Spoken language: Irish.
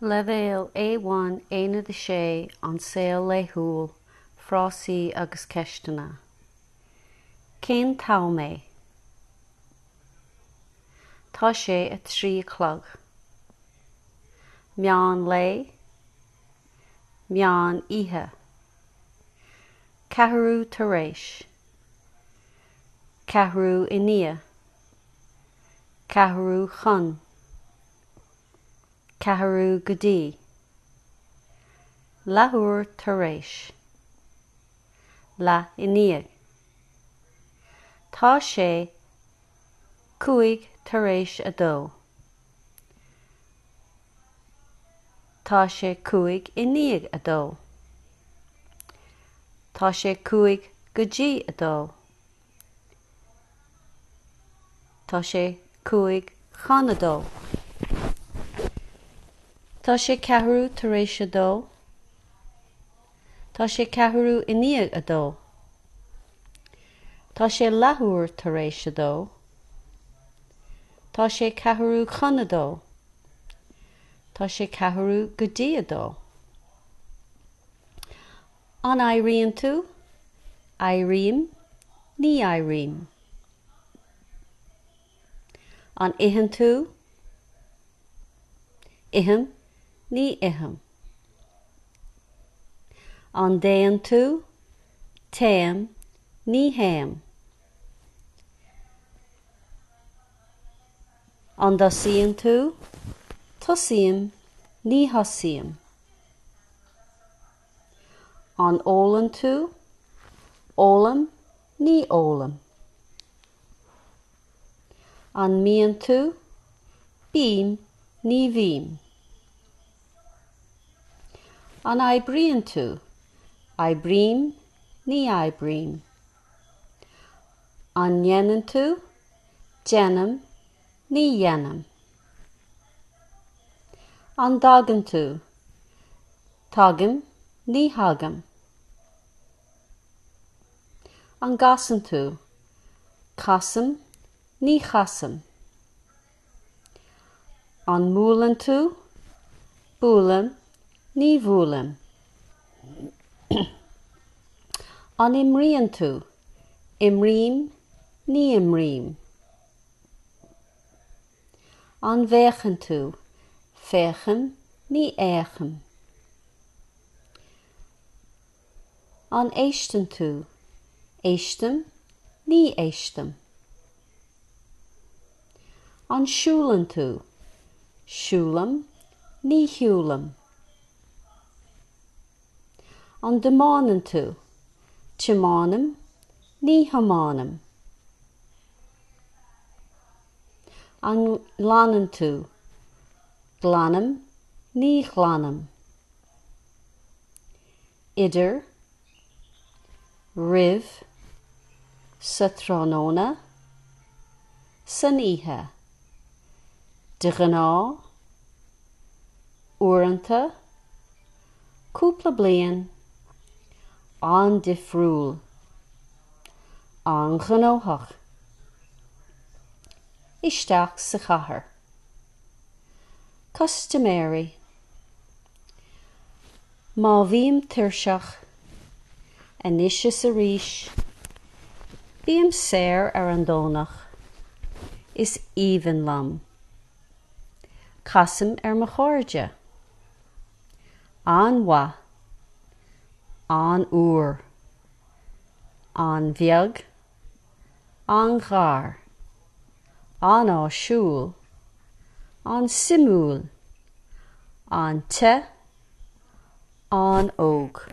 Leibhéal A1 Aonad 6 An Saol Laethúil, Frásaí agus Ceisteanna Cén t-am é? Tá sé 3 a chlog. Meán lae, Meán oíche. Ceathrú tar éis. Ceathrú i ndiaidh. Ceathrú chun. Ceathrú go dtí. Leathuair tar éis. Leath i ndiaidh. Tá sé 2:05 tar éis. Tá sé 2:05. Tá sé 1:55 go dtí. Tá sé 1:55. Tá sé 2:15. Tá sé 2:15. Tá sé 2:30. Tá sé 1:45. Tá sé ceathrú go dtí a dó. An éiríonn tú? Éirím. Ní éirím. An itheann tú? Ithim. Ní ithim. An dtéann tú? Téim. Ní théim. An dtosaíonn tú? Tosaím. Ní thosaím. An ólann tú? Ólaim. Ní ólaim. An mbíonn tú? Bím. Ní bhím. An oibríonn tú? Oibrím. Ní oibrím. An ndéanann tú? Déanaim. Ní dhéanaim. An dtagann tú? Tagaim. Ní thagaim. An gcasann tú? Casaim. Ní chasaim. An mbuaileann tú? Buailim. Ní bhuailim. An imríonn tú? Imrím. Ní imrím. An bhféachann tú? Féachaim. Ní fhéachaim. An éisteann tú? Éistim. Ní éistim. An siúlann tú? Siúlaim. Ní shiúlaim. An dtiomáineann tú? Tiomáinim. Ní thiomáinim. An nglanann tú? Glanaim. Ní ghlanaim. Idir, roimh, sa tráthnóna, san oíche. De ghnáth, uaireanta, cúpla bliain, an-difriúil, an-ghnóthach, isteach sa chathair. Custaiméirí. Má bhím tuirseach, anois is arís, bím saor ar an Domhnach, is aoibhinn liom. Casaim ar mo chairde. An-mhaith. An-fhuar. An-bheag. An-ghar. An-áisiúil. An-suimiúil. An-te. An-óg.